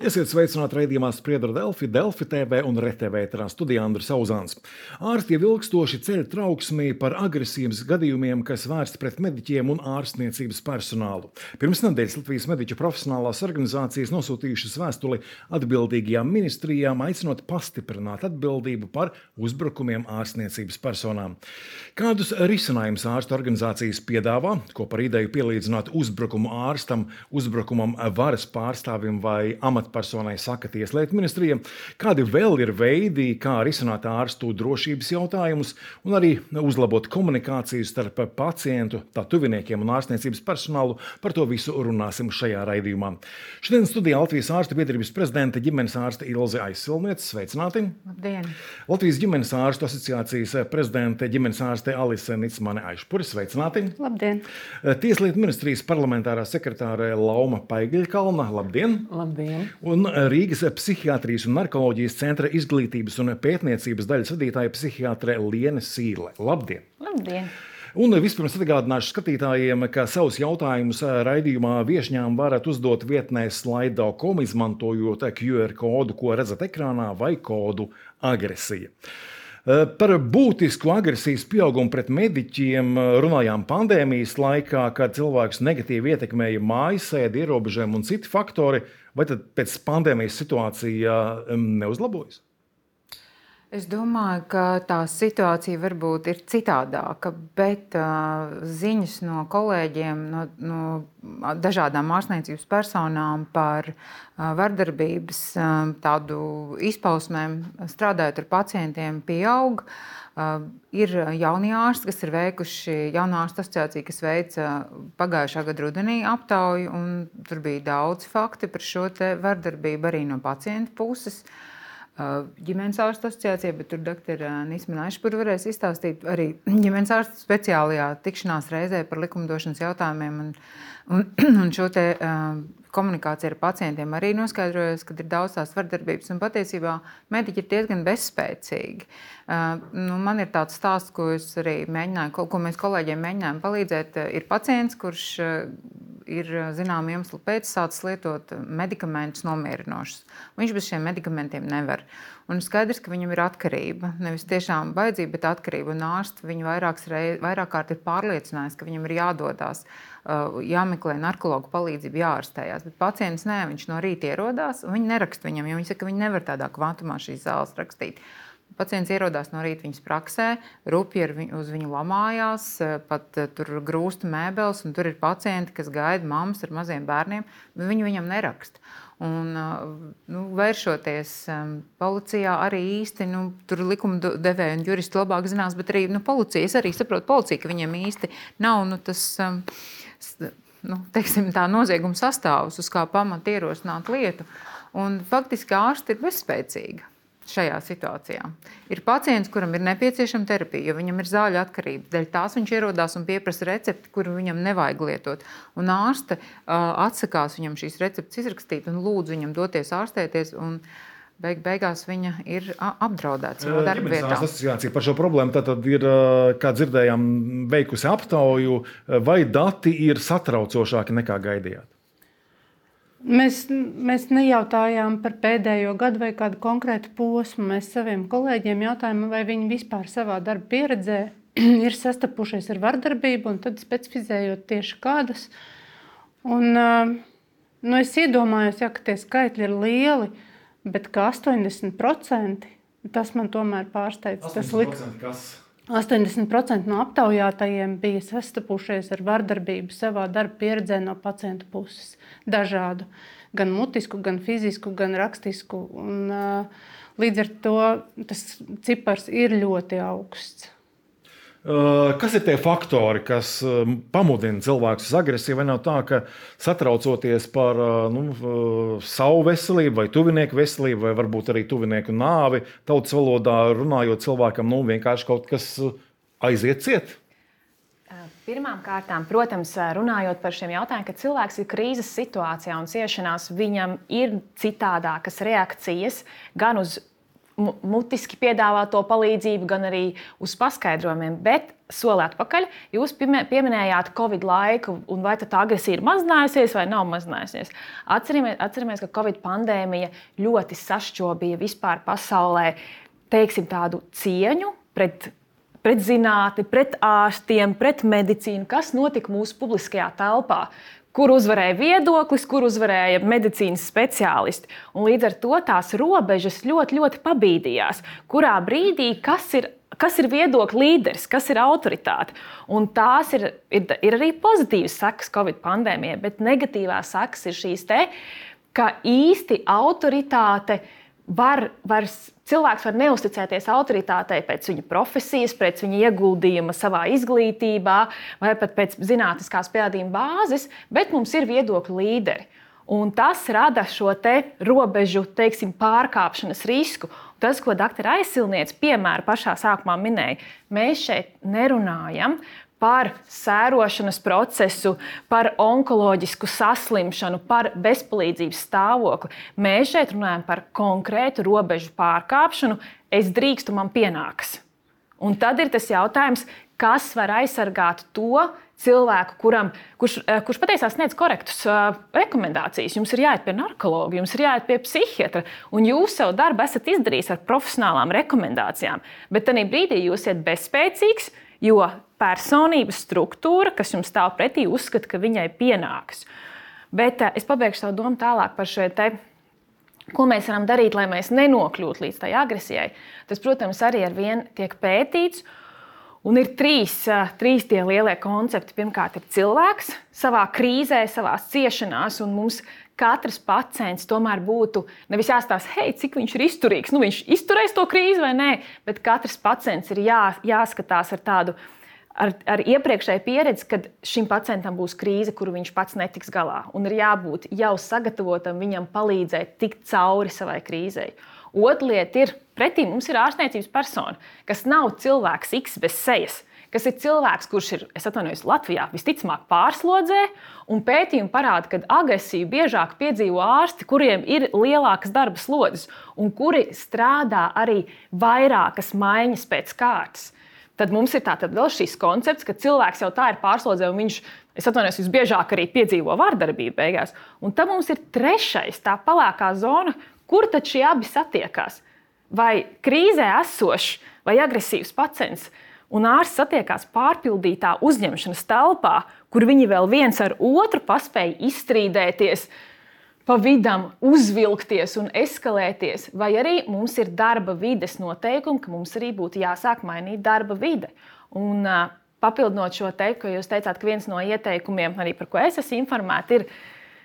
Esiet sveicināti raidījumā Spriedra Delfi, Delfi TV un RTV ēterā studijā Andris Auzāns. Ārsti jau ilgstoši ceļ trauksmī par agresijas gadījumiem, kas vērsti pret mediķiem un ārstniecības personālu. Pirms nedēļas Latvijas mediķu profesionālās organizācijas nosūtījušas vēstuli atbildīgajām ministrijām, aicinot pastiprināt atbildību par uzbrukumiem ārstniecības personām. Kādus risinājumus ārstu organizācijas piedāvā, ko par ideju pielīdzināt uzbrukumu ārstam, uzbrukumam varas pārstāvim vai amatpersonai saka Tieslietu ministrija, kādi vēl ir veidi, kā risināt ārstu drošības jautājumus un arī uzlabot komunikāciju starp pacientu, tā tuviniekiem un ārstniecības personālu. Par to visu runāsim šajā raidījumā. Šodien studijā Latvijas ārstu biedrības prezidente ģimenes ārste Ilze Aizsilniece. Sveicināti! Labdien! Latvijas ģimenes ārstu asociācijas prezidente ģimenes ārste Alise Nicmane Aišpure. Sveicināti! Labdien! Tieslietu ministrijas parlamentārā sekretāre Lauma Paigļkalna. Labdien! Labdien! Un Rīgas psihiatrijas un narkoloģijas centra izglītības un pētniecības daļas vadītāja psihiatre Liene Sīle. Labdien! Labdien! Un vispirms atgādināšu skatītājiem, ka savus jautājumus raidījumā viešņām varat uzdot vietnē Slido.com, izmantojot QR kodu, ko redzat ekrānā, vai kodu agresija. Par būtisku agresijas pieaugumu pret mediķiem runājām pandēmijas laikā, kad cilvēkus negatīvi ietekmēja mājasēdi, ierobežojumi un citi faktori. Vai tad pēc pandēmijas situācija neuzlabojas? Es domāju, ka tā situācija varbūt ir citādāka, bet ziņas no kolēģiem, no dažādām ārstniecības personām par vardarbības tādu izpausmēm, strādājot ar pacientiem, pieaug. Ir jaunie ārsti, kas ir veikuši, jaunā ārstu asociācija, kas veica pagājušā gada rudenī aptauju, un tur bija daudz fakti par šo te vardarbību arī no pacienta puses. Ģimenes ārstu asociācija, bet tur doktora Nicmane Aišpure varēs izstāstīt arī ģimenes ārstu speciālajā tikšanās reizē par likumdošanas jautājumiem un šo te komunikācija ar pacientiem arī noskaidrojas, ka ir daudz tās vardarbības un patiesībā mediķi ir diezgan bezspēcīgi. Man ir tāds stāsts, ko es arī mēģināju, ko mēs kolēģiem mēģinājām palīdzēt. Ir pacients, kurš ir zināmu iemeslu pēc sācis lietot medikamentus nomierinošus. Viņš bez šiem medikamentiem nevar. Un skaidrs, ka viņam ir atkarība. Nevis tiešām vajadzība, bet atkarība. Un ārsti viņu vairāk kārt ir pārliecinājis, ka viņam ir jādodās, jāmeklē narkologu palīdzību, jāārstējās. Bet pacients nē, viņš no rīta ierodās, un viņi neraksta viņam, jo viņi saka, ka viņi nevar tādā kvantumā šīs zāles rakstīt. Pacients ierodās no rīta viņas praksē, rupji uz viņu lamājās, pat tur grūsta mēbeles, un tur ir pacienti, kas gaida mammas ar maziem bērniem, bet viņi viņam neraksta. Un, vēršoties policijā arī īsti, tur likumdevēji un juristi labāk zinās, bet arī policija, es arī saprotu policija, ka viņiem īsti nav tas, teiksim, tā nozieguma sastāvus, uz kā pamata ierosināt lietu. Un faktiski ārsti ir bezspēcīgi šajā situācijā. Ir pacients, kuram ir nepieciešama terapija, jo viņam ir zāļu atkarība. Dēļ tās viņš ierodās un pieprasa recepti, kuru viņam nevajag lietot. Un ārste atsakās viņam šīs receptes izrakstīt un lūdz viņam doties ārstēties. Un beigās viņa ir apdraudēta savā darba vietā. Ģimenes asociācija par šo problēmu tad ir, kā dzirdējām, veikusi aptauju, vai dati ir satraucošāki nekā gaidījāt? Mēs nejautājām par pēdējo gadu vai kādu konkrētu posmu. Mēs saviem kolēģiem jautājām, vai viņi vispār savā darba pieredzē ir sastapušies ar vardarbību, un tad specifizējot tieši kādas. Un, es iedomājos, ka tie skaitļi ir lieli, bet ka 80%, tas man tomēr pārsteidz. 80% kas? 80% no aptaujātajiem bija sastapušies ar vardarbību savā darba pieredzē no pacienta puses. Dažādu. Gan mutisku, gan fizisku, gan rakstisku. Un, līdz ar to tas cipars ir ļoti augsts. Kas ir tie faktori, kas pamudina cilvēkus uz agresiju? Vai nav tā, ka satraucoties par savu veselību vai tuvinieku veselību, vai varbūt arī tuvinieku nāvi, tautas valodā runājot cilvēkam, vienkārši kaut kas aiziet ciet? Pirmām kārtām, protams, runājot par šiem jautājumiem, kad cilvēks ir krīzes situācijā un ciešanās, viņam ir citādākas reakcijas gan uz mutiski piedāvā to palīdzību, gan arī uz paskaidrojumiem. Bet soli atpakaļ, jūs pieminējāt Covid laiku, un vai tā agresija ir mazinājusies vai nav mazinājusies. Atceramies, ka Covid pandēmija ļoti sašķobīja vispār pasaulē, teiksim, tādu cieņu pret zinātni, pret ārstiem, pret medicīnu, kas notika mūsu publiskajā telpā. Kur uzvarēja viedoklis, kur uzvarēja medicīnas speciālisti. Un līdz ar to tās robežas ļoti, ļoti pabīdījās. Kurā brīdī, kas ir viedokļa līderis, kas ir autoritāte. Un tās ir arī pozitīvas sekas Covid pandēmijai, bet negatīvās sekas ir šīs te, ka īsti autoritāte cilvēks var neusticēties autoritātei pēc viņa profesijas, pēc viņa ieguldījuma savā izglītībā vai pat pēc zinātniskās pierādījuma bāzes, bet mums ir viedokļa līderi. Un tas rada šo te robežu, teiksim, pārkāpšanas risku. Tas, ko dr. Aizsilniece piemēra pašā sākumā minēja, mēs šeit nerunājam par sērošanas procesu, par onkoloģisku saslimšanu, par bezpalīdzības stāvokli. Mēs šeit runājam par konkrētu robežu pārkāpšanu. Es drīkstu, man pienākas. Un tad ir tas jautājums, kas var aizsargāt to cilvēku, kurš patiesībā sniedz korektus rekomendācijas. Jums ir jāiet pie narkologa, jums ir jāiet pie psihiatra, un jūs savu darbu esat izdarījis ar profesionālām rekomendācijām. Bet tajā brīdī jūs esat bezspēcīgs, jo personības struktūra, kas jums stāv pretī, uzskata, ka viņai pienākas. Bet es pabeigšu savu domu tālāk par šo te, ko mēs varam darīt, lai mēs nenokļūtu līdz tai agresijai. Tas, protams, arī ar vienu tiek pētīts. Un ir trīs tie lielie koncepti. Pirmkārt, ir cilvēks savā krīzē, savās ciešanās, un mums katrs pacients tomēr būtu nevis jāstāsta, hei, cik viņš ir izturīgs, viņš izturēs to krīzi vai nē, bet katrs pacients ir jāskatās ar tādu, ar iepriekšēju pieredzi, kad šim pacientam būs krīze, kuru viņš pats netiks galā, un ir jābūt jau sagatavotam viņam palīdzēt tikt cauri savai krīzei. Otra lieta ir, pretī mums ir ārstniecības persona, kas nav cilvēks X bez sejas, kas ir cilvēks, kurš ir, es atvainojos, Latvijā visticamāk pārslodzē, un pētījumi parāda, ka agresiju biežāk piedzīvo ārsti, kuriem ir lielākas darba slodzes, un kuri strādā arī vairākas maiņas pēc kārtas. Tad mums ir tātad vēl šis koncepts, ka cilvēks jau tā ir pārslodzē, un viņš, es atvainojos, visbiežāk arī piedzīvo vardarbību beigās. Un tad mums ir trešais, tā pelēkā zona, kur tad šie abi satiekās. Vai krīzē esošs vai agresīvs pacients un ārsts satiekās pārpildītā uzņemšanas telpā, kur viņi vēl viens ar otru paspēja izstrīdēties, pa vidam uzvilkties un eskalēties, vai arī mums ir darba vides noteikumi, ka mums arī būtu jāsāk mainīt darba vide. Un papildinot šo teiktu, ko jūs teicāt, ka viens no ieteikumiem, arī par ko es esmu informēta, ir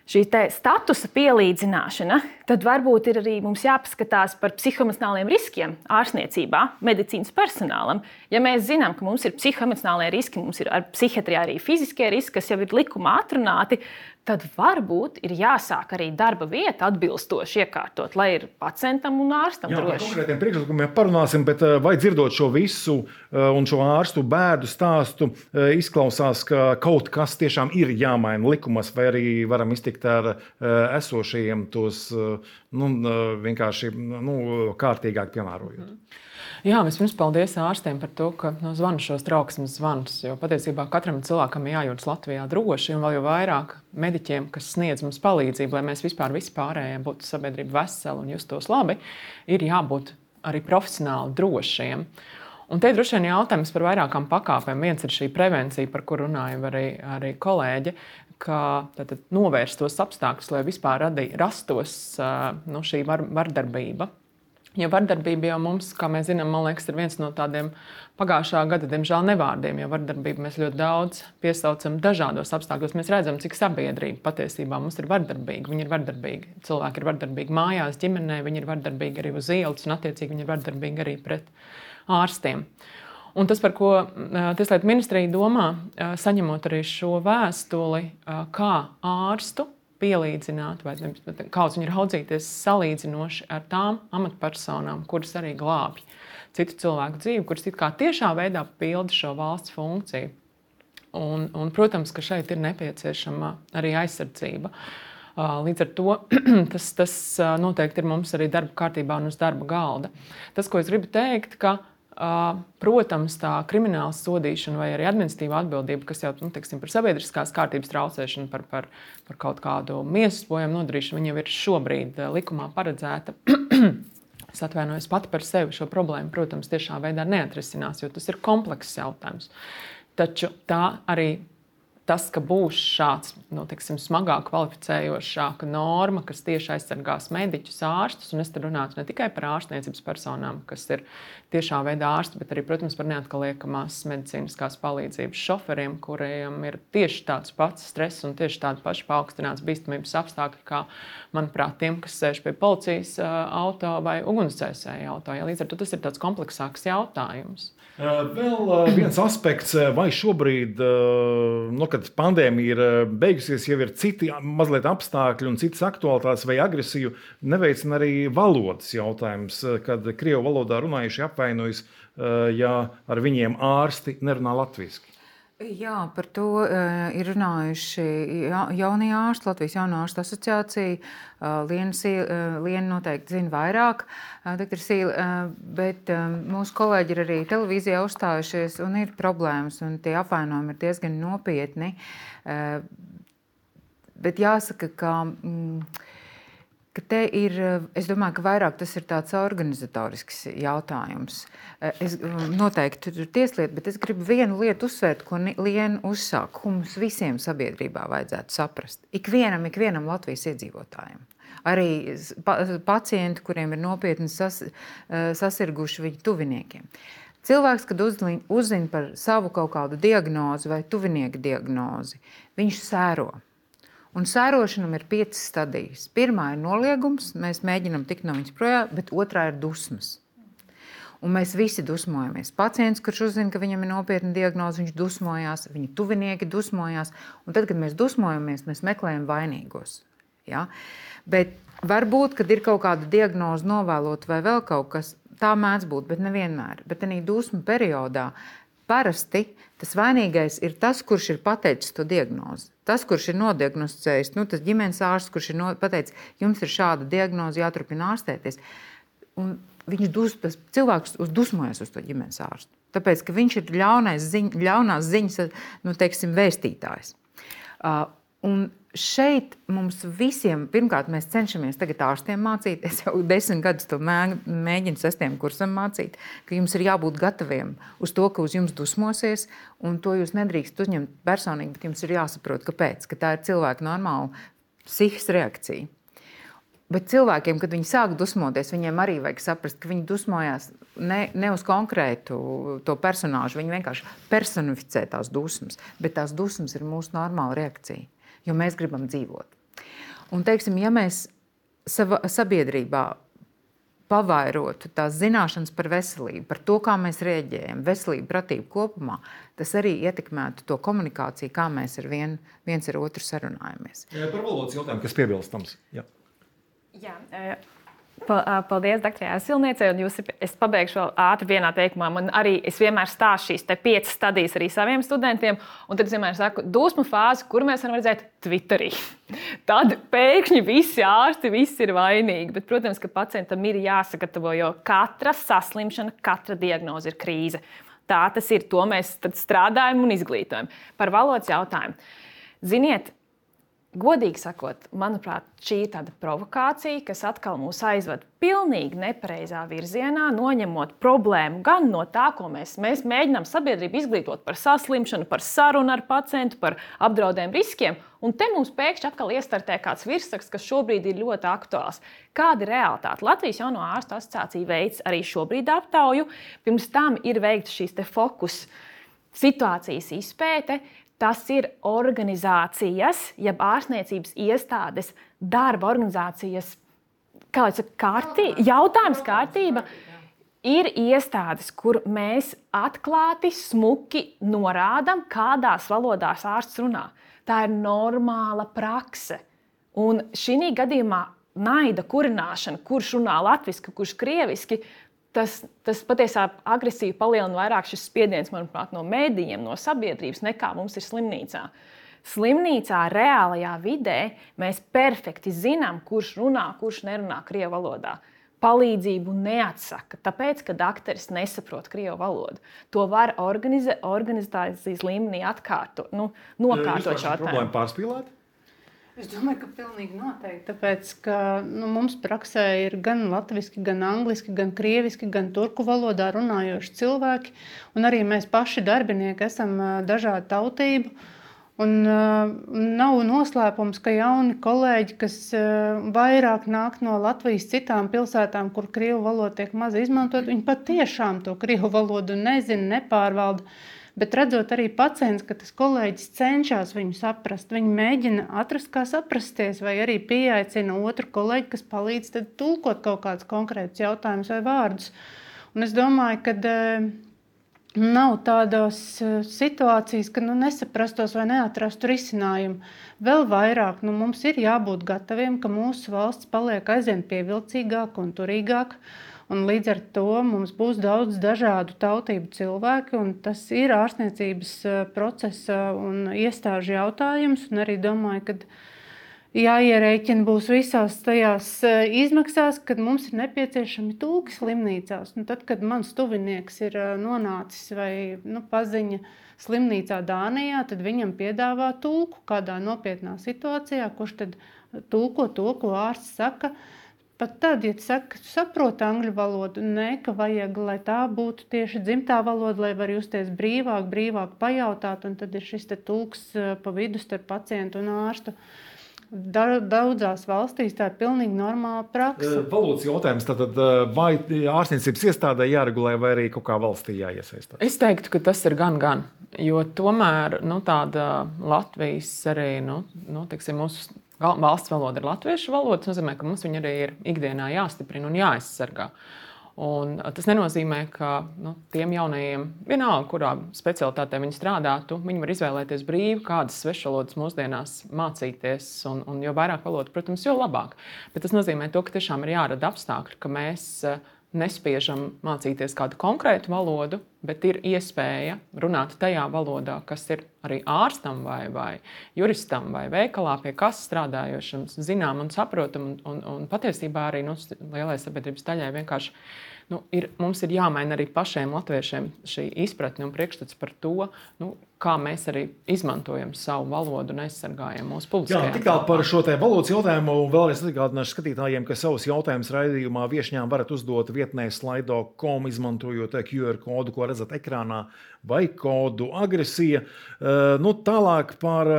šī statusa pielīdzināšana, tad varbūt ir arī mums jāpaskatās par psihoemocionāliem riskiem ārstniecībā, medicīnas personālam. Ja mēs zinām, ka mums ir psihoemocionālie riski, mums ir ar psihiatrijā arī fiziskie riski, kas jau ir likumā atrunāti, tad varbūt ir jāsāk arī darba vieta atbilstoši iekārtot, lai ir pacientam un ārstam droši. Par konkrētiem priekšlikumiem parunāsim, bet vai dzirdot šo visu un šo ārstu bēdu stāstu, izklausās, ka kaut kas tiešām ir jāmaina likumos, vai arī varam iztikt ar esošajiem tos vienkārši kārtīgāk piemērojot? Jā, vispirms paldies ārstiem par to, ka zvana šos trauksmes zvanus, jo patiesībā katram cilvēkam jājūtas Latvijā droši, un vēl jau vairāk mediķiem, kas sniedz mums palīdzību, lai mēs vispār vispārējie būtu sabiedrība veseli un justos labi, ir jābūt arī profesionāli drošiem. Un te droši vien jautājums par vairākām pakāpēm. Viens ir šī prevencija, par kur runāja arī kolēģi, ka novērst tos apstākļus, lai vispār rastos šī vardarbība. Jo vardarbība jau mums, kā mēs zinām, man liekas, ir viens no tādiem pagājušā gada, diemžēl, nevārdiem, jo vardarbību mēs ļoti daudz piesaucam dažādos apstākļos. Mēs redzam, cik sabiedrība patiesībā mums ir vardarbīga. Viņi ir vardarbīgi. Cilvēki ir vardarbīgi mājās, ģimenē, viņi ir vardarbīgi arī uz ielas, un attiecīgi viņi ir vardarbīgi arī pret ārstiem. Un tas, par ko Tieslietu ministrija domā, saņemot arī šo vēstuli, kā ārstu pielīdzināt, vai kāds viņi ir raudzīties salīdzinoši ar tām amatpersonām, kuras arī glābj citu cilvēku dzīvi, kuras it kā tiešā veidā pilda šo valsts funkciju. Un, protams, ka šeit ir nepieciešama arī aizsardzība. Līdz ar to tas noteikti ir mums arī darba kārtībā un uz darba galda. Tas, ko es gribu teikt, ka protams, tā krimināla sodīšana vai arī administratīva atbildība, kas jau teiksim, par sabiedriskās kārtības traucēšanu, par kaut kādu miesas bojājumu nodarīšanu, viņa jau ir šobrīd likumā paredzēta. Es atvainojos pati par sevi šo problēmu, protams, tiešā veidā neatrisinās, jo tas ir komplekss jautājums. Taču tā arī tas, ka būs šāds teiksim, smagāk kvalificējošāka norma, kas tieši aizsargās mediķus, ārstus, un es te runātu ne tikai par ārstniecības personām, kas ir tiešā veidā ārsti, bet arī, protams, par neatkaliekamās medicīniskās palīdzības šoferiem, kuriem ir tieši tāds pats stress un tieši tādi paši paaugstināts bīstamības apstākļi, kā, manuprāt, tiem, kas sēž pie policijas auto vai ugunsdzēsēja auto. Ja, līdz ar to tas ir tāds kompleksāks jautājums. Vēl viens aspekts, vai šobrīd, kad pandēmija ir beigusies, jau ir citi mazliet apstākļi un citas aktualitātes vai agresiju, neveicina arī valodas jautājums, kad krievu valodā runājuši apvainojas, ja ar viņiem ārsti nerunā latviski. Jā, par to ir runājuši jaunie ārsti, Latvijas jauno ārstu asociācija. Liena noteikti zina vairāk, doktor Sīle, bet mūsu kolēģi ir arī televīzijā uzstājušies un ir problēmas, un tie apvainojumi ir diezgan nopietni. Bet jāsaka, ka te ir, es domāju, ka vairāk tas ir tāds organizatorisks jautājums. Es noteikti tur ir tieslietu, bet es gribu vienu lietu uzsvērt, ko Liena uzsāk, ko mums visiem sabiedrībā vajadzētu saprast. Ikvienam Latvijas iedzīvotājiem. Arī pacienti, kuriem ir nopietni sasirguši viņu tuviniekiem. Cilvēks, kad uzzina par savu kaut kādu diagnozi vai tuvinieka diagnozi, viņš sēro. Un sērošanam ir 5 stadijas. Pirmā ir noliegums, mēs mēģinām tikt no viņas projām, bet otrā ir dusmas. Un mēs visi dusmojamies. Pacients, kurš uzzina, ka viņam ir nopietna diagnoze, viņš dusmojās, viņa tuvinieki dusmojās. Un tad, kad mēs dusmojamies, mēs meklējam vainīgos. Ja? Bet varbūt, kad ir kaut kāda diagnoze novēlot vai vēl kaut kas, tā mēdz būt, bet nevienmēr. Bet tādā dusmu periodā parasti tas vainīgais ir tas, kurš ir pateicis to diagnozi. Tas, kurš ir nodiagnosticējis, tas ģimenes ārsts, kurš ir pateicis, jums ir šāda diagnoze, jāturpina ārstēties. Un tas cilvēks dusmojas uz to ģimenes ārstu. Tāpēc, ka viņš ir ļaunās ziņas, vēstītājs. Un šeit mums visiem, pirmkārt, mēs cenšamies tagad ārstiem mācīt, es jau 10 gadus to mēģinu 6. kursam mācīt, ka jums ir jābūt gataviem uz to, ka uz jums dusmosies, un to jūs nedrīkst uzņemt personīgi, bet jums ir jāsaprot, kāpēc, ka tā ir cilvēka normāla psihiskas reakcija. Bet cilvēkiem, kad viņi sāk dusmoties, viņiem arī vajag saprast, ka viņi dusmojās ne uz konkrētu to personāžu, viņi vienkārši personificē tās dusmas, bet tās dusmas ir mūsu normāla reakcija. Jo mēs gribam dzīvot. Un, teiksim, ja mēs sabiedrībā pavairotu tās zināšanas par veselību, par to, kā mēs rēģējam, veselību, pratību kopumā, tas arī ietekmētu to komunikāciju, kā mēs viens ar otru sarunājamies. Par valodas jautājumu, kas piebilstams? Jā. Paldies, doktorai Silniecei. Es pabeigšu vēl ātri vienā teikumā. Es vienmēr stāstu šīs 5 stadijas arī saviem studentiem. Un tad es vienmēr saku, dusmu fāzi, kur mēs varam redzēt Twitterī. Tad pēkšņi visi ārsti, visi ir vainīgi. Bet, protams, ka pacientam ir jāsagatavo, jo katra saslimšana, katra diagnoze ir krīze. Tā tas ir. To mēs tad strādājam un izglītojam. Par valodas jautājumu. Ziniet, godīgi sakot, manuprāt, šī ir tāda provokācija, kas atkal mūs aizved pilnīgi nepareizā virzienā, noņemot problēmu gan no tā, ko mēs mēģinām sabiedrību izglītot par saslimšanu, par sarunu ar pacientu, par apdraudējumu riskiem, un te mums pēkšņi atkal iestartē kāds virsraksts, kas šobrīd ir ļoti aktuāls. Kāda ir realitāte? Latvijas jauno ārstu asociācija veids arī šobrīd aptauju. Pirms tam ir veikta šīs fokus situācijas izpēte. Tas ir organizācijas, jeb ārstniecības iestādes, darba organizācijas, jautājums kārtība. Ir iestādes, kur mēs atklāti, smuki norādām, kādās valodās ārsts runā. Tā ir normāla prakse. Un šī gadījumā naida kurināšana, kurš runā latviski, kurš krieviski, tas patiesībā agresīvi palielina vairāk šis spiediens, manuprāt, no mēdījiem, no sabiedrības, nekā mums ir slimnīcā. Slimnīcā, reālajā vidē mēs perfekti zinām, kurš runā, kurš nerunā krievu valodā. Palīdzību neatsaka, tāpēc, ka dakteris nesaprot krievu valodu. To var organizācijas līmenī nokārtot šo jautājumu. Problēma pārspīlēt? Es domāju, ka pilnīgi noteikti, tāpēc, ka mums praksē ir gan latviski, gan angliski, gan krieviski, gan turku valodā runājoši cilvēki, un arī mēs paši darbinieki esam dažādu tautību. Un nav noslēpums, ka jauni kolēģi, kas vairāk nāk no Latvijas citām pilsētām, kur krievu valoda tiek maz izmantot, viņi patiešām to krievu valodu nezina, nepārvalda. Bet redzot arī pacients, ka tas kolēģis cenšas viņu saprast, viņi mēģina atrast, kā saprasties, vai arī pieaicina otru kolēģi, kas palīdz tad tulkot kaut kādus konkrētus jautājumus vai vārdus. Un es domāju, ka nav tādas situācijas, ka nesaprastos vai neatrastu risinājumu. Vēl vairāk mums ir jābūt gataviem, ka mūsu valsts paliek aizvien pievilcīgāka un turīgāka. Un līdz ar to mums būs daudz dažādu tautību cilvēki, un tas ir ārstniecības procesa un iestāžu jautājums. Un arī domāju, ka jāierēķina būs visās tajās izmaksās, kad mums ir nepieciešami tulki slimnīcās. Tad, kad mans tuvinieks ir nonācis vai paziņa slimnīcā Dānijā, tad viņam piedāvā tulku kādā nopietnā situācijā, kurš tad tulko to, ko ārsts saka. Pat tad, ja saka, saprot angļu valodu, ka vajag, lai tā būtu tieši dzimtā valoda, lai var justies brīvāk pajautāt, un tad ir šis te tulks pa vidu starp pacientu un ārstu. Daudzās valstīs tā ir pilnīgi normāla praksa. Valodas jautājums, tad vai ārstniecības iestādē jāregulē, vai arī kaut kā valstī jāiesaistās? Es teiktu, ka tas ir gan. Jo tomēr tāda Latvijas arī, teiksim, mūsu valsts valoda ir latviešu valoda. Tas nozīmē, ka mums viņa arī ir ikdienā jāstiprina un jāaizsargā. Un tas nenozīmē, ka tiem jaunajiem, vienalga, kurā specialitātē viņi strādātu, viņi var izvēlēties brīvi, kādas svešvalodas mūsdienās mācīties. Un jo vairāk valodu, protams, jo labāk. Bet tas nozīmē to, ka tiešām ir jārada apstākļi, ka mēs nespiežam mācīties kādu konkrētu valodu, bet ir iespēja runāt tajā valodā, kas ir arī ārstam vai juristam vai veikalā, pie kas strādājošam, zinām un saprotam. Un patiesībā arī lielai sabiedrības daļai vienkārši mums ir jāmaina arī pašiem latviešiem šī izpratne un priekšstats par to, kā mēs arī izmantojam savu valodu un aizsargājam mūsu publiskajā. Jā, tik tālu par šo te valodas jautājumu. Vēlreiz atgādināšu skatītājiem, ka savus jautājumus raidījumā viešņām varat uzdot vietnē slido.com, izmantojot QR kodu, ko redzat ekrānā, vai kodu agresija. Tālāk par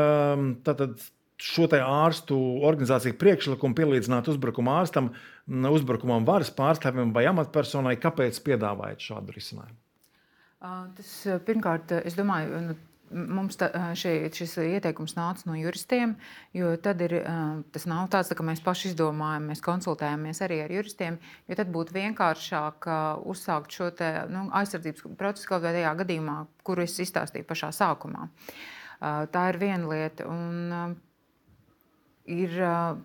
šo te ārstu organizāciju priekšlikumu pielīdzināt uzbrukuma ārstam, uzbrukumam varas pārstāvim vai amatpersonai. Kāpēc piedāvājat šādu risinājumu? Tas pirmkārt, es domāju, mums šis ieteikums nāca no juristiem, jo tad tas nav tāds, ka mēs paši izdomājam, mēs konsultējamies arī ar juristiem, jo tad būtu vienkāršāk uzsākt šo te, aizsardzības procesu kaut vai tajā gadījumā, kuru es izstāstīju pašā sākumā. Tā ir viena lieta. Un,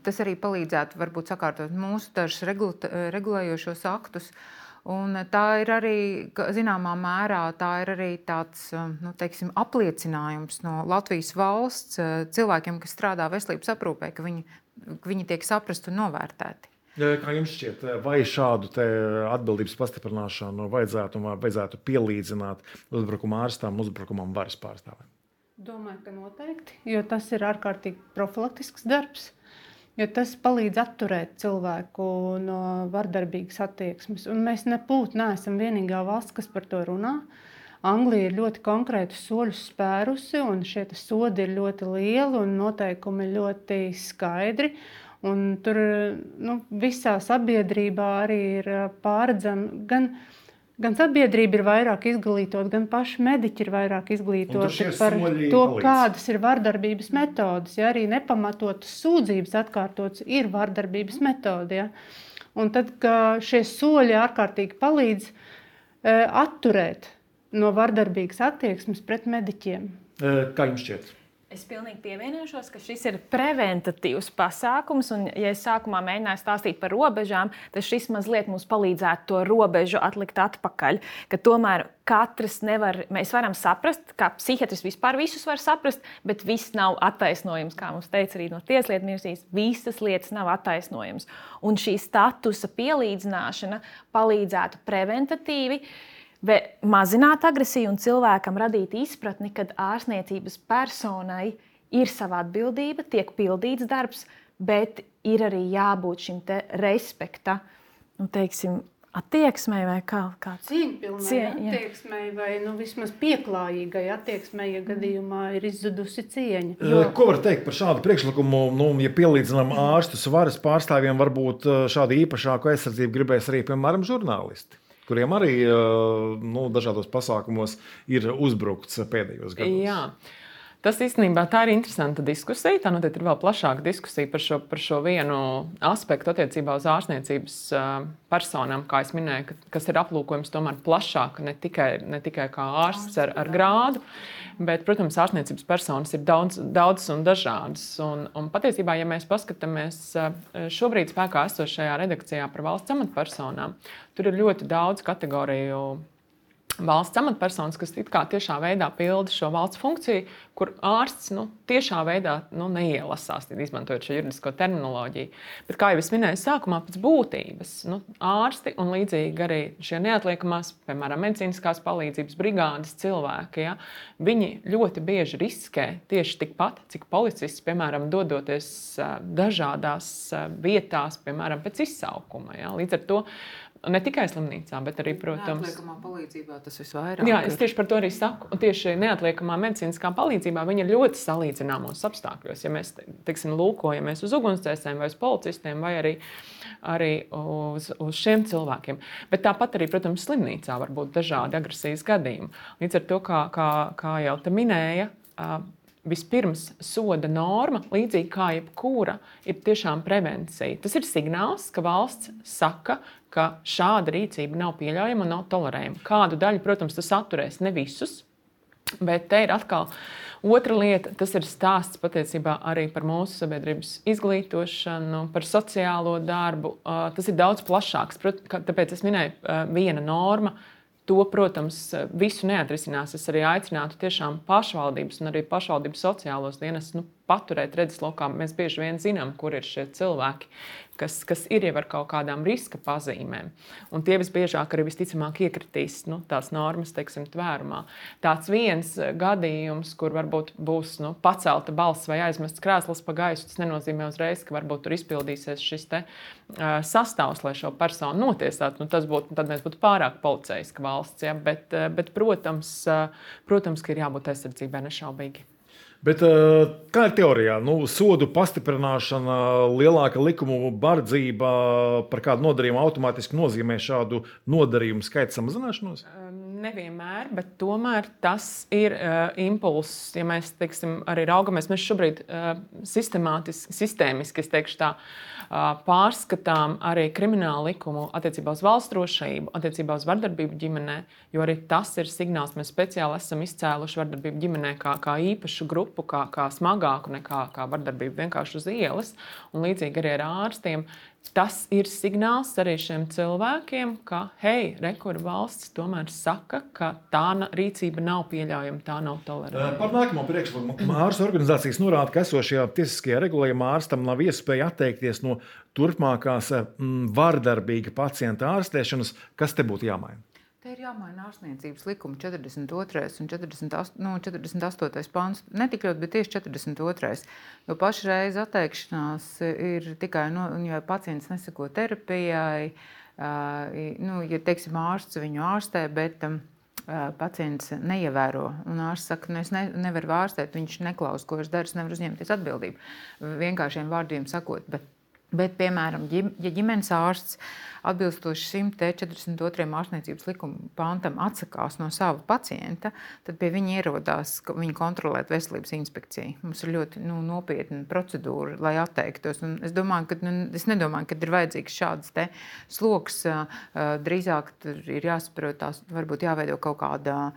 tas arī palīdzētu varbūt sakārtot mūsu dažus regulējošos aktus. Un tā ir arī, zināmā mērā, tā ir arī tāds, apliecinājums no Latvijas valsts cilvēkiem, kas strādā veselības aprūpē, ka viņi tiek saprast un novērtēti. Kā jums šķiet, vai šādu te atbildības pastiprināšanu vajadzētu pielīdzināt uzbrukuma ārstam, uzbrukumam varas pārstāvēm? Domāju, ka noteikti, jo tas ir ārkārtīgi profilaktisks darbs, jo tas palīdz atturēt cilvēku no vardarbīgas attieksmes. Un mēs neesam vienīgā valsts, kas par to runā. Anglija ir ļoti konkrētus soļus spērusi, un šie sodi ir ļoti lieli un noteikumi ļoti skaidri. Un tur visā sabiedrībā arī ir pārredzama gan sabiedrība ir vairāk izglītot, gan paši mediķi ir vairāk izglītoti par to, kādas ir vardarbības metodes. Ja arī nepamatotas sūdzības atkārtotas ir vardarbības metode. Ja. Un tad, ka šie soļi ārkārtīgi palīdz atturēt no vardarbīgas attieksmes pret mediķiem. Kā jums šķiet? Es pilnīgi pievienošos, ka šis ir preventatīvs pasākums. Un, ja es sākumā mēģināju stāstīt par robežām, tad šis mazliet mums palīdzētu to robežu atlikt atpakaļ. Ka tomēr katrs nevar, mēs varam saprast, kā psihiatrs vispār visus var saprast, bet viss nav attaisnojums, kā mums teica arī no Tieslietu ministrijas. Visas lietas nav attaisnojums. Un šī statusa pielīdzināšana palīdzētu preventatīvi mazināt agresiju un cilvēkam radīt izpratni, kad ārstniecības personai ir sava atbildība, tiek pildīts darbs, bet ir arī jābūt šim te respekta, attieksmei vai kāds cieņpilnai attieksmei vai vismaz pieklājīgai attieksmei, ja gadījumā ir izzudusi cieņa. Ko var teikt par šādu priekšlikumu? Ja pielīdzinām ārstus varas pārstāvjiem, varbūt šādu īpašāku aizsardzību gribēs arī, piemēram, žurnālisti, kuriem arī dažādos pasākumos ir uzbrukts pēdējos gados. Jā. Tas īstenībā tā ir interesanta diskusija. Tā noteikti ir vēl plašāka diskusija par šo vienu aspektu attiecībā uz ārstniecības personām, kā es minēju, kas ir aplūkojums tomēr plašāk, ne tikai kā ārsts ar grādu, bet, protams, ārstniecības personas ir daudzas un dažādas. Un patiesībā, ja mēs paskatāmies šobrīd spēkā esošajā redakcijā par valsts amatpersonām, tur ir ļoti daudz kategoriju valsts amatpersonas, kas tiešā veidā pilda šo valsts funkciju, kur ārsts tiešā veidā neielasās, izmantojot šo juridisko terminoloģiju. Bet, kā jau es minēju sākumā, pēc būtības ārsti un līdzīgi arī šie neatliekamās, piemēram, medicīniskās palīdzības brigādes cilvēki, viņi ļoti bieži riskē tieši tikpat, cik policists, piemēram, dodoties dažādās vietās, piemēram, pēc izsaukuma. Līdz ar to ne tikai slimnīcā, bet arī, protams, neatliekamā palīdzībā tas visvairāk. Jā, es tieši par to arī saku. Un tieši neatliekamā medicīniskā palīdzībā viņa ir ļoti salīdzināmos apstākļos. Ja mēs, lūkojamies uz ugunsdzēsējiem vai uz policistiem vai arī uz šiem cilvēkiem. Bet tāpat arī, protams, slimnīcā var būt dažādi agresijas gadījumi. Līdz ar to, kā jau te minēja, vispirms soda norma, līdzīgi kā jebkura, ir tiešām prevencija. Tas ir signāls, ka valsts saka, ka šāda rīcība nav pieļaujama un nav tolerējama. Kādu daļu, protams, tas atturēs, ne visus, bet te ir atkal otra lieta. Tas ir stāsts patiesībā arī par mūsu sabiedrības izglītošanu, par sociālo darbu. Tas ir daudz plašāks. Tāpēc es minēju viena norma. To, protams, visu neatrisinās. Es arī aicinātu tiešām pašvaldības un arī pašvaldību sociālos dienestus paturēt redzeslokā. Mēs bieži vien zinām, kur ir šie cilvēki, kas ir jau ar kaut kādām riska pazīmēm. Un tie visbiežāk arī visticamāk iekritīs tās normas, tvērumā. Tāds viens gadījums, kur varbūt būs pacelta balss vai aizmests krēsls pa gaisu, tas nenozīmē uzreiz, ka varbūt tur izpildīsies šis te sastāvs, lai šo personu notiesātu. Tad mēs būtu pārāk policeiska valsts. Ja? Bet protams, ka ir jābūt aizsardzībai nešaubīgi. Bet kā ir teorijā? Sodu pastiprināšana, lielāka likumu bardzība par kādu nodarījumu automātiski nozīmē šādu nodarījumu skaita samazināšanos? Nevienmēr, bet tomēr tas ir impulss. Ja mēs arī raugamies, mēs šobrīd sistēmiski, es teikšu tā, pārskatām arī kriminālu likumu attiecībā uz valsts drošību, attiecībā uz vardarbību ģimenē, jo arī tas ir signāls. Mēs speciāli esam izcēluši vardarbību ģimenē kā īpašu grupu, kā smagāku nekā vardarbību vienkārši uz ielas, un līdzīgi arī ar ārstiem. Tas ir signāls arī šiem cilvēkiem, ka, hei, kur valsts tomēr saka, ka tā rīcība nav pieļaujama, tā nav tolerēta. Par nākamo priekšlikumu ārstu organizācijas norāda, ka esošajā tiesiskajā regulējumā ārstam nav iespēja atteikties no turpmākās vardarbīga pacienta ārstēšanas. Kas te būtu jāmaina? Te ir jāmaina ārstniecības likuma 42. un 48. pāns. Ne tik ļoti, bet tieši 42. Jo pašreiz atteikšanās ir tikai, ja pacients neseko terapijai, ja, ārsts viņu ārstē, bet pacients neievēro. Un ārsts saka, es nevaru ārstēt, viņš neklaus, ko es daru, es nevaru uzņemties atbildību. Vienkāršiem vārdiem sakot, bet Bet, piemēram, ja ģimenes ārsts atbilstoši 142. ārstniecības likuma pantam atsakās no sava pacienta, tad pie viņa ierodās viņa kontrolēt veselības inspekciju. Mums ir ļoti nopietna procedūra, lai atteiktos. Un es nedomāju, ka ir vajadzīgs šāds te sloks. Drīzāk ir jāsaprot, tās varbūt jāveido kaut kāda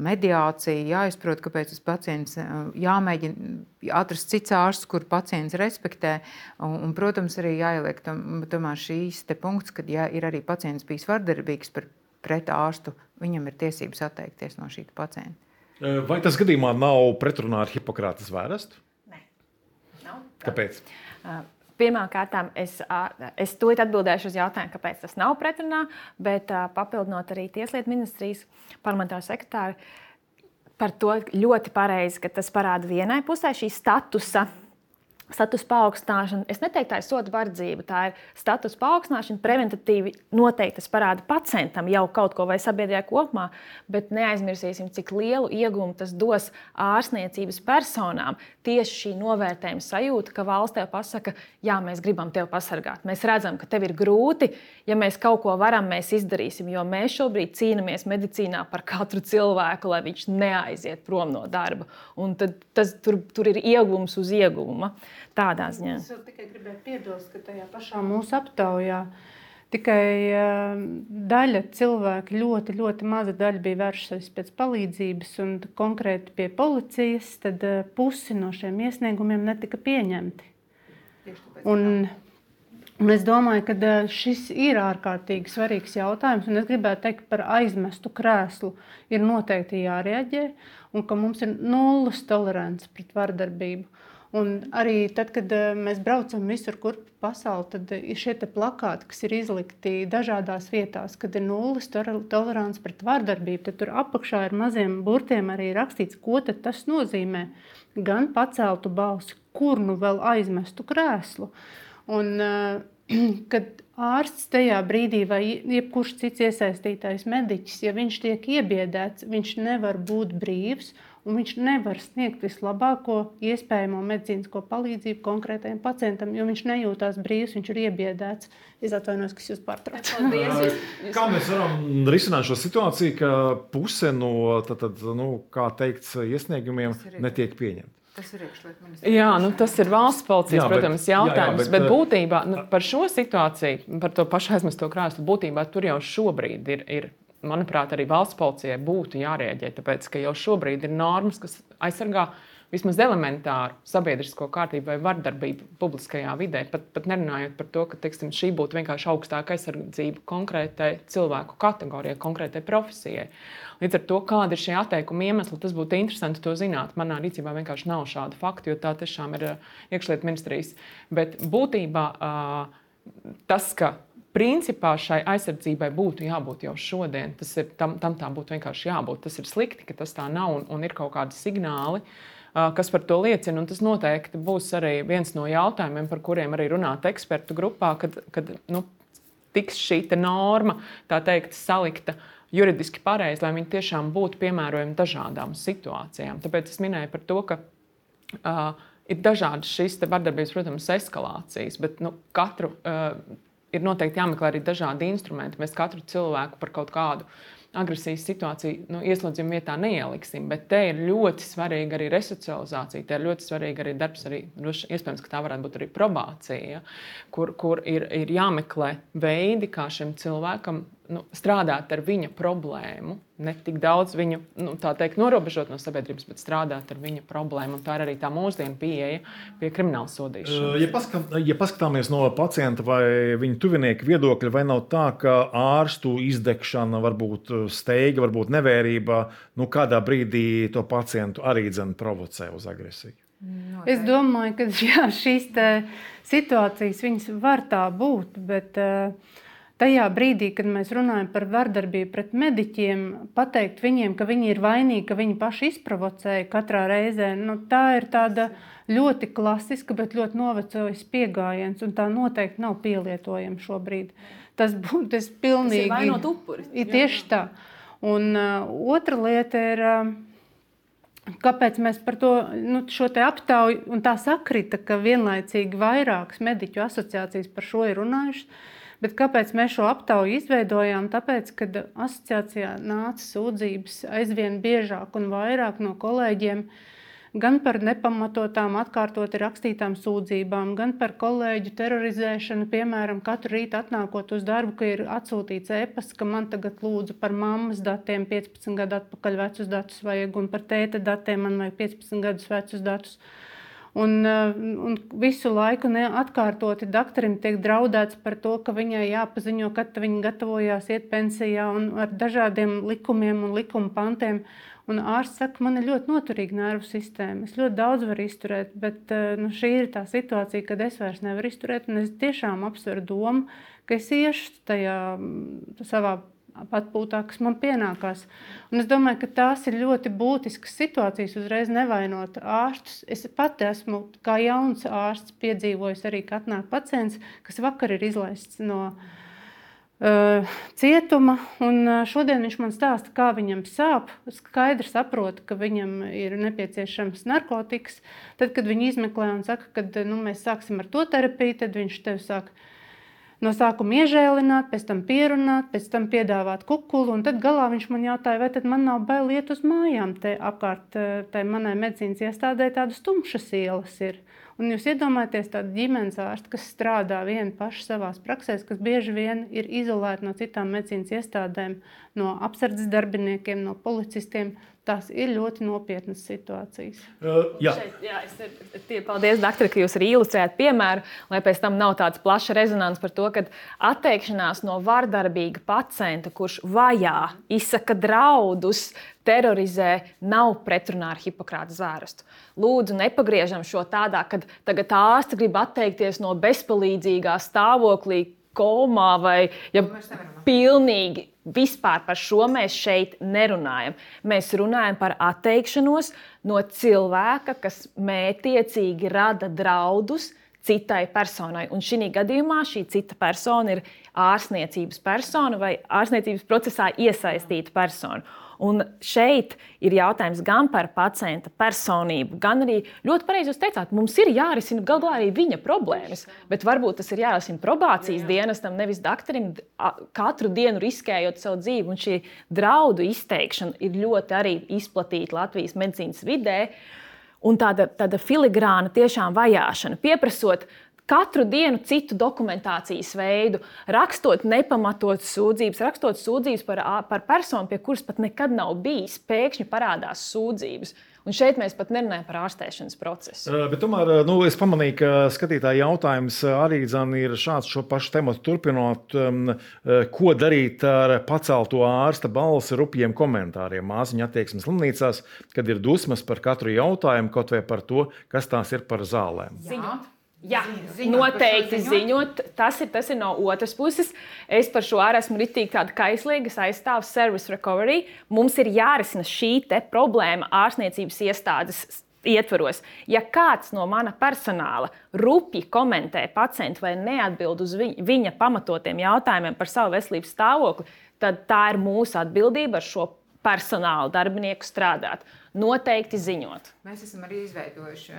mediācija, jāizprot, kāpēc tas pacients jāmēģina atrast cits ārsts, kur pacients respektē. Un, protams, arī jāieliek tomēr šīs te punkts, kad ja ir arī pacients bijis vardarbīgs pret ārstu, viņam ir tiesības atteikties no šī pacienta. Vai tas gadījumā nav pretrunā ar Hipokrates vērestu? Nē, nav. Kāpēc? Pirmkārt, es tūlīt atbildēšu uz jautājumu, kāpēc tas nav pretrunā, bet papildinot arī Tieslietu ministrijas parlamentāro sekretāru par to ļoti pareizi, ka tas parāda vienai pusē šī statusa paaugstināšana. Es neteiktu, tā ir soda vardzība, tā ir status paaugstināšana, preventatīvi noteikti tas parāda pacientam jau kaut ko vai sabiedrībā kopumā, bet neaizmirsīsim, cik lielu ieguvumu tas dos ārstniecības personām. Tieši šī novērtējuma sajūta, ka valsts tev pasaka, jā, mēs gribam tevi pasargāt. Mēs redzam, ka tev ir grūti, ja mēs kaut ko varam, mēs izdarīsim, jo mēs šobrīd cīnāmies medicīnā par katru cilvēku, lai viņš neaiziet prom no darba. Un tad tur ir ieguvums uz ieguvuma. Tādā ziņā. Es tikai gribēju piebilst, ka tajā pašā mūsu aptaujā tikai daļa cilvēku, ļoti, ļoti maza daļa bija vērsusies pēc palīdzības un konkrēti pie policijas, tad pusi no šiem iesniegumiem netika pieņemti. Un es domāju, ka šis ir ārkārtīgi svarīgs jautājums, un es gribētu teikt par aizmestu krēslu ir noteikti jārēģē, un ka mums ir nulles tolerants pret vardarbību. Un arī tad, kad mēs braucam visur, kur pasauli, tad ir šie plakāti, kas ir izlikti dažādās vietās, kad ir nulles tolerants pret vardarbību. Tad tur apakšā ir maziem burtiem arī rakstīts, ko tad tas nozīmē. Gan paceltu balsi, kur nu vēl aizmestu krēslu. Un kad ārsts tajā brīdī vai jebkurš cits iesaistītais mediķis, ja viņš tiek iebiedēts, viņš nevar būt brīvs, un viņš nevar sniegt vislabāko iespējamo medicīnisko palīdzību konkrētajam pacientam, jo viņš nejūtās brīvs, viņš ir iebiedēts. Es atvainojos, ka jūs pārtraucat. Kā mēs varam risināt šo situāciju, ka puse no kā teikts, iesniegumiem netiek pieņemta? Tas ir iekšlietu ministrijas. Jā, tas ir valsts policijas, protams, jautājums. Bet būtībā par šo situāciju, par to pašu aizmesto krēslu, būtībā tur jau šobrīd ir manuprāt, arī valsts policijai būtu jārēģē, tāpēc, ka jau šobrīd ir normas, kas aizsargā vismaz elementāru sabiedrisko kārtību vai vardarbību publiskajā vidē, pat nerunājot par to, ka šī būtu vienkārši augstāka aizsardzība konkrētai cilvēku kategorijai, konkrētai profesijai. Līdz ar to, kāda ir šie atteikuma iemesli, tas būtu interesanti to zināt. Manā rīcībā vienkārši nav šādu faktu, jo tā tiešām ir iekšlietu ministrijas. Bet būtībā tas, ka principā šai aizsardzībai būtu jābūt jau šodien, tam tā būtu vienkārši jābūt. Tas ir slikti, ka tas tā nav un ir kaut kādi signāli, kas par to liecina. Un tas noteikti būs arī viens no jautājumiem, par kuriem arī runāt ekspertu grupā, kad tiks šī norma, tā teikt, salikta juridiski pareizi, lai viņi tiešām būtu piemērojami dažādām situācijām. Tāpēc es minēju par to, ka ir dažādas šīs vardarbības, protams, eskalācijas, bet katru ir noteikti jāmeklē arī dažādi instrumenti. Mēs katru cilvēku par kaut kādu agresijas situāciju ieslodzījuma vietā neieliksim, bet te ir ļoti svarīga arī resocializācija, te ir ļoti svarīga arī darbs, arī iespējams, ka tā varētu būt arī probācija, kur ir jāmeklē veidi, kā šim cilvēkam strādāt ar viņa problēmu, ne tik daudz viņu, tā teikt, norobežot no sabiedrības, bet strādāt ar viņa problēmu. Un tā ir arī tā mūsdienu pieeja pie krimināla sodīšanas. Ja paskatāmies no pacienta vai viņa tuvinieka viedokļa, vai nav tā, ka ārstu izdegšana, varbūt steiga, varbūt nevērība, kādā brīdī to pacientu arī provocē uz agresiju? Es domāju, ka šīs situācijas viņas var tā būt, bet tajā brīdī, kad mēs runājam par vardarbību pret mediķiem, pateikt viņiem, ka viņi ir vainīgi, ka viņi paši izprovocēja katrā reizē, tā ir tāda ļoti klasiska, bet ļoti novecojis pieejams, un tā noteikti nav pielietojama šobrīd. Tas būtu pilnīgi. Tas ir vainot upuri. Ir tieši tā. Un otra lieta ir kāpēc mēs par to šo te aptauju, un tā sakrita, ka vienlaicīgi vairākas mediķu asociācijas par šo ir runājušas, bet kāpēc mēs šo aptauju izveidojām? Tāpēc, kad asociācijā nāca sūdzības aizvien biežāk un vairāk no kolēģiem, gan par nepamatotām atkārtoti rakstītām sūdzībām, gan par kolēģu terorizēšanu, piemēram, katru rītu atnākot uz darbu, ka ir atsūtīts e-pasts, ka man tagad lūdzu par mammas datiem 15 gadu atpakaļ vecus datus vajag, un par tēta datiem man vajag 15 gadus vecus datus. Un visu laiku atkārtoti doktorim tiek draudēts par to, ka viņai jāpaziņo, kad viņa gatavojās iet pensijā un ar dažādiem likumiem un likuma pantiem. Un ārsts saka, man ir ļoti noturīga nervu sistēma, es ļoti daudz varu izturēt, bet šī ir tā situācija, kad es vairs nevaru izturēt, un es tiešām apsveru domu, ka es iešu tajā savā atpūtā, kas man pienākās. Un es domāju, ka tās ir ļoti būtiskas situācijas, uzreiz nevainot ārstus. Es pati esmu kā jauns ārsts piedzīvojis arī, ka atnāk pacients, kas vakar ir izlaists no cietuma, un šodien viņš man stāsta, kā viņam sāp. Skaidri saprotu, ka viņam ir nepieciešams narkotikas. Tad, kad viņi izmeklē un saka, ka mēs sāksim ar to terapiju, tad viņš tev sāk no sākuma iežēlināt, pēc tam pierunāt, pēc tam piedāvāt kukulu, un tad galā viņš man jautāja, vai tad man nav bail iet uz mājām. Te apkārt tai manai medicīnas iestādē tādas tumšas ielas ir. Un jūs iedomājaties tādu ģimenes ārstu, kas strādā vieni paši savās praksēs, kas bieži vien ir izolēti no citām medicīnas iestādēm, no apsardzes darbiniekiem, no policistiem. Tās ir ļoti nopietnas situācijas. Paldies, doktori, ka jūs arī ilustrējat piemēru, lai pēc tam nav tāds plašs rezonans par to, ka atteikšanās no vardarbīga pacienta, kurš vajā, izsaka draudus, terorizē, nav pretrunā ar Hipokrata zvērstu. Lūdzu, nepagriežam šo tādā, kad tagad ārsti grib atteikties no bezpalīdzīgā stāvoklī, komā vai pilnīgi. Vispār par šo mēs šeit nerunājam. Mēs runājam par atteikšanos no cilvēka, kas mērķtiecīgi rada draudus citai personai. Un šī gadījumā šī cita persona ir ārstniecības persona vai ārstniecības procesā iesaistīta persona. Un šeit ir jautājums gan par pacienta personību, gan arī ļoti pareizi jūs teicāt, mums ir jārisina galu galā arī viņa problēmas, bet varbūt tas ir jārisina probācijas dienestam, nevis doktorim, katru dienu riskējot savu dzīvi. Un šī draudu izteikšana ir ļoti arī izplatīta Latvijas medicīnas vidē, un tāda filigrāna tiešām vajāšana, pieprasot katru dienu citu dokumentācijas veidu, rakstot nepamatotas sūdzības, rakstot sūdzības par personu, pie kuras pat nekad nav bijis, pēkšņi parādās sūdzības. Un šeit mēs pat nerunājam par ārstēšanas procesu. Bet tomēr es pamanīju, ka skatītāja jautājums arī ir šāds, šo pašu tematu turpinot, ko darīt ar pacelto ārsta balsi rupjiem komentāriem māsiņu attieksmes slimnīcās, kad ir dusmas par katru jautājumu, kaut vai par to, kas tās ir par zālēm. Jā, noteikti ziņot. Tas ir no otras puses. Es par šo arī esmu ritīgi tāda kaislīga, es aizstāvu service recovery. Mums ir jārisina šī te problēma ārstniecības iestādes ietvaros. Ja kāds no mana personāla rupji komentē pacientu vai neatbild uz viņa pamatotiem jautājumiem par savu veselības stāvokli, tad tā ir mūsu atbildība ar šo personālu darbinieku strādāt. Noteikti ziņot. Mēs esam arī izveidojuši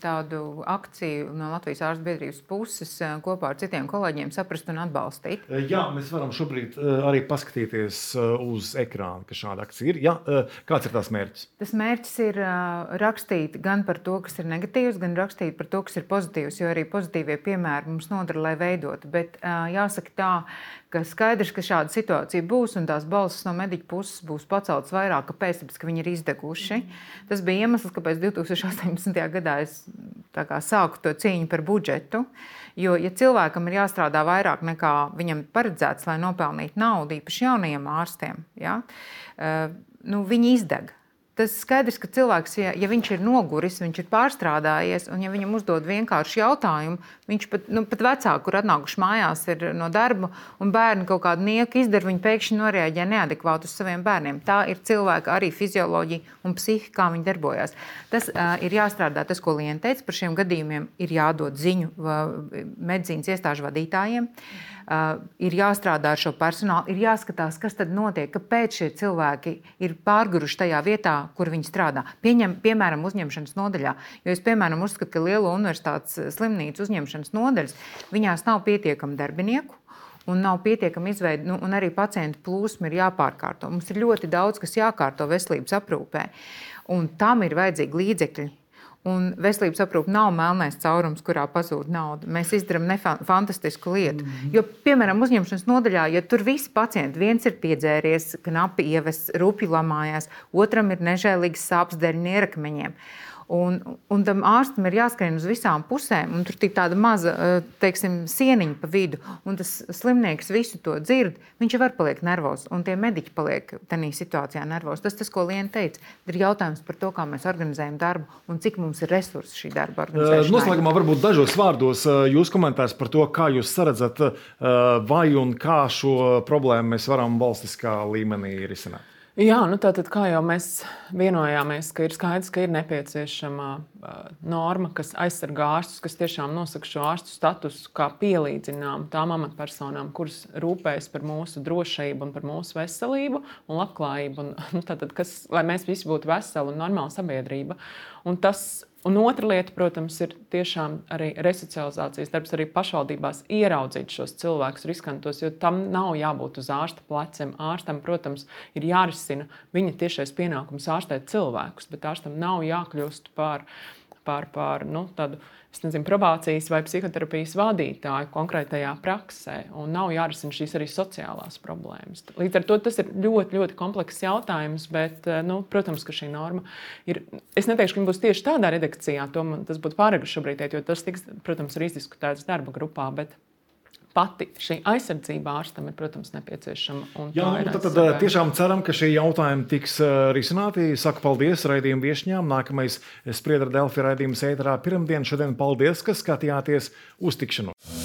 tādu akciju no Latvijas ārstu biedrības puses kopā ar citiem kolēģiem saprast un atbalstīt. Jā, mēs varam šobrīd arī paskatīties uz ekrāna, ka šāda akcija ir. Jā, kāds ir tās mērķis? Tas mērķis ir rakstīt gan par to, kas ir negatīvs, gan rakstīt par to, kas ir pozitīvs, jo arī pozitīvie piemēri mums nodara, lai veidotu. Bet jāsaka tā, ka skaidrs, ka šāda situācija būs un tās balsis no mediķu puses būs paceltas vairāk, kāpēc, tāpēc, ka viņi ir izdeguši. Tas bija iemesls, kāpēc 2018. gadā es sāku to cīņu par budžetu. Jo, ja cilvēkam ir jāstrādā vairāk nekā viņam paredzēts, lai nopelnītu naudu, īpaši jaunajiem ārstiem, viņi izdeg. Tas skaidrs, ka cilvēks, ja viņš ir noguris, viņš ir pārstrādājies, un ja viņam uzdod vienkārši jautājumu, viņš pat vecāki, kur atnākuši mājās ir no darba, un bērni kaut kādu nieku izdara, viņi pēkšņi noreaģē neadekvāti uz saviem bērniem. Tā ir cilvēka arī fizioloģija un psihika, kā viņi darbojās. Tas ir jāstrādā, tas, ko Liena teica, par šiem gadījumiem ir jādod ziņu medicīnas iestāžu vadītājiem. ir jāstrādā ar šo personālu, ir jāskatās, kas tad notiek, kāpēc šie cilvēki ir pārguruši tajā vietā, kur viņi strādā. Piemēram, uzņemšanas nodaļā. Jo es, piemēram, uzskatu, ka lielo universitātes slimnīcu uzņemšanas nodaļas, viņās nav pietiekami darbinieku, un nav pietiekami izveidi, un arī pacientu plūsma ir jāpārkārto. Mums ir ļoti daudz, kas jākārto veselības aprūpē, un tam ir vajadzīgi līdzekļi. Un veselības aprūpe nav melnais caurums, kurā pazūd nauda. Mēs izdarām fantastisku lietu. Jo, piemēram, uzņemšanas nodaļā, ja tur visi pacienti, viens ir piedzēries, knapi ievests, rupji lamājās, otram ir nežēlīgas sāpes dēļ nierakmeņiem. Un tam ārstam ir jāskrien uz visām pusēm, un tur ir tāda maza, teiksim, sieniņa pa vidu, un tas slimnieks visu to dzird, viņš jau var paliek nervos, un tie mediķi paliek tādā situācijā nervos. Tas, ko Liena teica, ir jautājums par to, kā mēs organizējam darbu, un cik mums ir resursi šī darba organizēšanai. Noslēgumā varbūt dažos vārdos jūs komentārs par to, kā jūs saredzat, vai un kā šo problēmu mēs varam valstiskā līmenī risināt. Jā, tātad, kā jau mēs vienojāmies, ka ir skaidrs, ka ir nepieciešama norma, kas aizsargā ārstus, kas tiešām nosaka šo ārstu statusu kā pielīdzinām tām amatpersonām, kuras rūpējas par mūsu drošību un par mūsu veselību un labklājību, tātad, lai mēs visi būtu veseli un normāla sabiedrība. Un otra lieta, protams, ir tiešām arī resocializācijas darbs, arī pašvaldībās ieraudzīt šos cilvēkus riskantos, jo tam nav jābūt uz ārsta pleciem. Ārstam, protams, ir jārisina viņa tiešais pienākums ārstēt cilvēkus, bet ārstam nav jākļūst par tādu, probācijas vai psihoterapijas vadītāju konkrētajā praksē, un nav jārisina šīs arī sociālās problēmas. Līdz ar to tas ir ļoti, ļoti komplekss jautājums, bet, protams, ka šī norma ir, es neteikšu, ka viņa būs tieši tādā redakcijā, tas būtu pāragri šobrīd, jo tas tiks, protams, arī izdiskutēts darba grupā, bet pati šī aizsardzība ārstam ir, protams, nepieciešama. Jā, tad tiešām ceram, ka šie jautājumi tiks risināti. Saku paldies raidījuma viešņām. Nākamais Spriedra Delfi raidījums ēterā pirmdien. Šodien paldies, ka skatījāties. Uz tikšanos!